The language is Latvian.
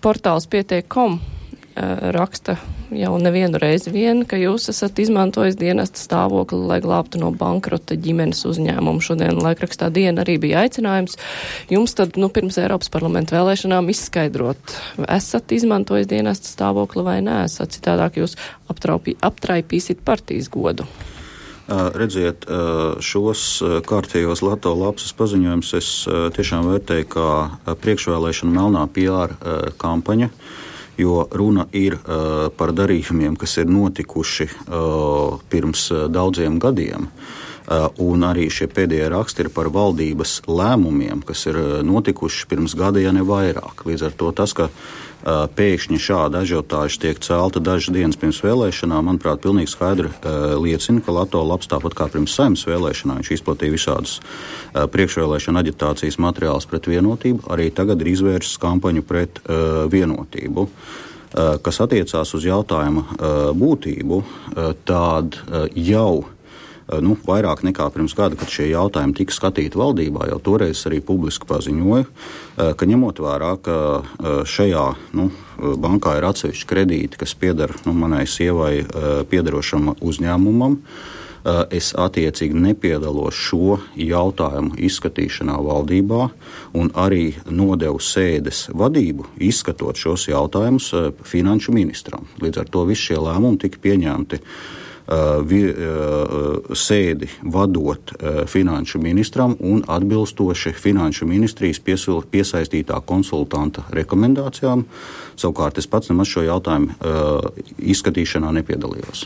Portāls pietiek.com raksta jau nevienu reizi vien, ka jūs esat izmantojis dienesta stāvokli, lai glābtu no bankrota ģimenes uzņēmumu. Šodien laikrakstā Diena arī bija aicinājums jums tad, pirms Eiropas parlamenta vēlēšanām izskaidrot, esat izmantojis dienesta stāvokli vai neesat, citādāk jūs aptraipīsit partijas godu. Redziet, šos kārtējos Lato lapsas paziņojumus es tiešām vērtēju kā priekšvēlēšana melnā PR kampaņa, jo runa ir par darījumiem, kas ir notikuši pirms daudziem gadiem. Un arī šie pēdējie raksti ir par valdības lēmumiem, kas ir notikuši pirms gada, ja ne vairāk. Līdz ar to tas, ka pēkšņi šāda ažiotāža tiek celta dažas dienas pirms vēlēšanām, manuprāt, pilnīgi skaidri liecina, ka Lato labs tāpat kā pirms Saeimas vēlēšanām viņš izplatīja visādas priekšvēlēšana aģitācijas materiālus pret vienotību, arī tagad ir izvērsts kampaņu pret vienotību. Kas attiecās uz jautājuma būtību, tad jau vairāk nekā pirms gada, kad šie jautājumi tika skatīti valdībā, jau toreiz arī publiski paziņoju, ka ņemot vērā, ka šajā bankā ir atsevišķi kredīti, kas pieder manai sievai piederošam uzņēmumam, es attiecīgi nepiedalos šo jautājumu izskatīšanā valdībā un arī nodevu sēdes vadību izskatot šos jautājumus finanšu ministram. Līdz ar to visi šie lēmumi tika pieņemti sēdi vadot finanšu ministram un atbilstoši finanšu ministrijas piesaistītā konsultanta rekomendācijām. Savukārt es pats nemaz šo jautājumu izskatīšanā nepiedalījos.